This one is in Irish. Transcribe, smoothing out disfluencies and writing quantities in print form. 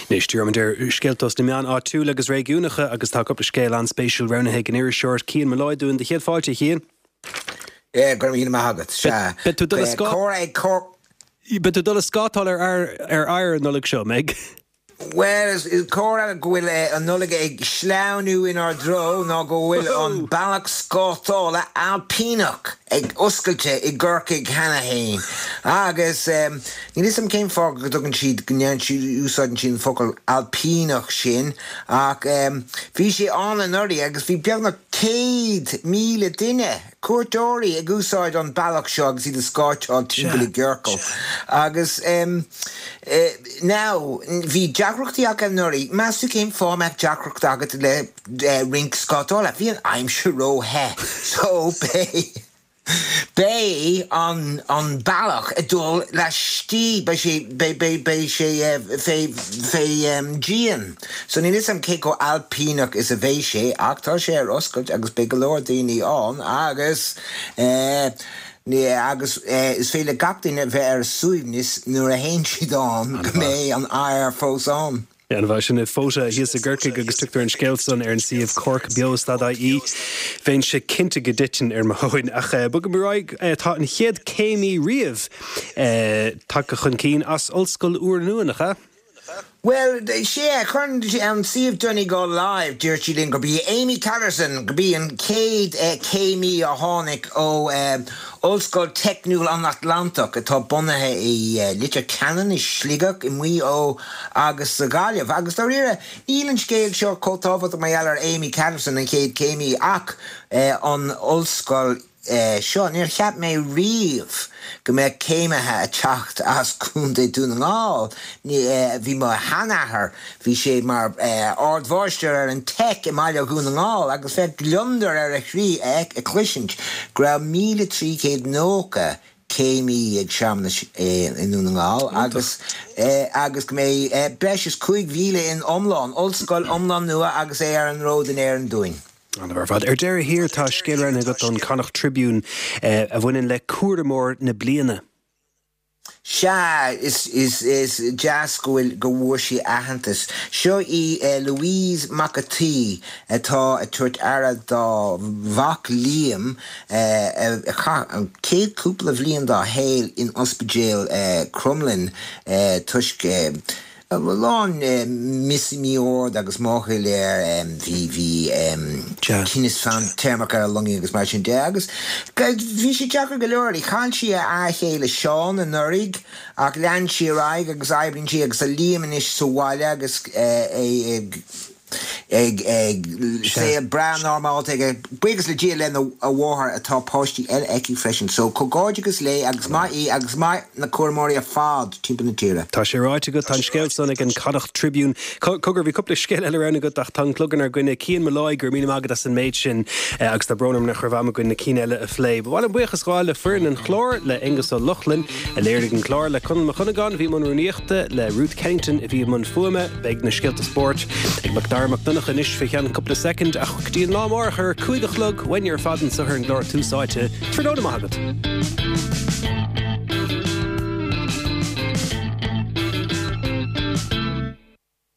Anois, díreoimid ar scéalta os na meáin áitiúla agus réigiúnacha agus tá cúpla scéal an-spéisiúil roghnaithe ag an iriseoir Cian Molloy dúinn. Do chéad fáilte, a Chian. Go raibh míle maith agat. Sea. Beidh tú ag dul ag scátáil ar oighear an Nollaig seo, an mbeidh? Bhuel, is comhartha go bhfuil an Nollaig ag sleamhnú inár dtreo ná go bhfuil an bealach scátála ailpíneach ag oscailte i gCorcaigh cheana fhéin. Agus níl fhios agam cén fáth go dtugann siad, go ndeireann siad, úsáideann siad an focal ailpíneach sin ach bhí sé ann anuraidh agus bhí beagnach 100,000 duine cuairteoirí ag úsáid an bealach seo agus iad ag scátáil timpeall i gciorcal agus now bhí deacrachtaí acu anuraidh, meas tú cén fáth a mbeadh deacracht agat le rinc scátála? Bhí an aimsir ró-the so beidh beidh an an bealach ag dul laistigh beidh sé beidh beidh beidh sé fé fé dhíon. So níl 'fhios a'm cé chomh ailpíneach is a bheidh sé ach tá sé ar oscailt agus beidh go leor daoine ann agus eh agus eh is féidir le gach duine bheith ar a suaimhneas nuair a théann siad ann go mbeidh an oighear fós ann. An-mhaith, sin i Fota thíos i gCorcaigh agus tugtar an scéal san ar an suíomh corkbeo.ie. Bheinnse cinnte go dtitfinn ar mo thóin ach bogfaimid ar aghaidh. Tá an chéad céimí riamh tagtha chun cinn as Ollscoil úrnua, nach ea? Bhuel, sea, chuir an suíomh Donegal Live, dúirt siad linn gurb í Amy Catterson, gurb í an chéad chéimí a tháinig ó Ollscoil Teicniúil an Atlantach, atá bunaithe i Leitir Ceanainn, i Sligeach, i Maigh Eo agus sa Ghaillimh. Agus dáiríre, níl an scéal seo chomh tábhachtach mar gheall ar Amy Catterson, an chéad chéimí, ach an ollscoil. seo. Níor cheap mé riamh go mbeadh céimithe ag teacht as Contae Dún na nGall. Bhí mo sheanathair, bhí sé mar ardmháistir ar an Teic i mbaile Dhún na nGall agus bheadh gliondar ar a chroí a chloisint go raibh 1,390 céimí ag searmanais i nDún na nGall agus agus go mbeidh breis is 5,000 in iomlán, ollscoil iomlán nua agus é ar an ród in Éirinn dúinn. An-mhaith ar fad. Ar deireadh thiar, tá scéal roghnaithe agat ón Connacht Tribune a bhaineann le cúramóir na bliana. Sea, is deas go bhfuil, go bhfuair sí aitheantas. Seo í Louise McAtee atá ag tabhairt aire dá mhac Liam a chaith an chéad cúpla bhliain dá shaol in ospidéal Crumlin toisc A lán mí-ord agus máchail air, bhí, bhí tinneas fadtéarmach ar a lungaí agus mar sin de agus bhí sé deacair go leor uirthi. Chaill sí a fhear chéile Seán anuraidh ach lean sí ar aghaidh agus oibríonn sí agus tá Liam anois sa bhaile agus é ag ag saol breá normálta aige, buíochas le Dia lena a mháthair atá páistí eile aici freisin. So comhghairdeachas léi agus maith í agus maith na cúramóirí ar fad timpeall na tíre. Tá sé ráite agat, tá an scéal san ag an Connacht Tribune. Cogar, bhí cúpla scéal eile roghnaithe agat ach tá an clog inár gcoinne. Cian Molloy, go raibh míle maith agat as an méid sin agus tá brón orm nach raibh am againn na cinn eile a phlé. Ba mhaith liom buíochas a ghabháil le foireann an chláir, le Aonghus Ó Lochlainn a léirigh an clár, le Conall Mac Dhonnagáin a bhí i mbun rúnaíochta, le Ruth Kennington a bhí i mbun fuaime. Beidh na scéalta spóirt ag Macdara Mac Donncha anois fé cheann cúpla soicind ach go dtí an lá amárach ar a 5 a chlog, uainne ar fad anseo ar an gclár Tús Áite. Tráthnóna maith agat.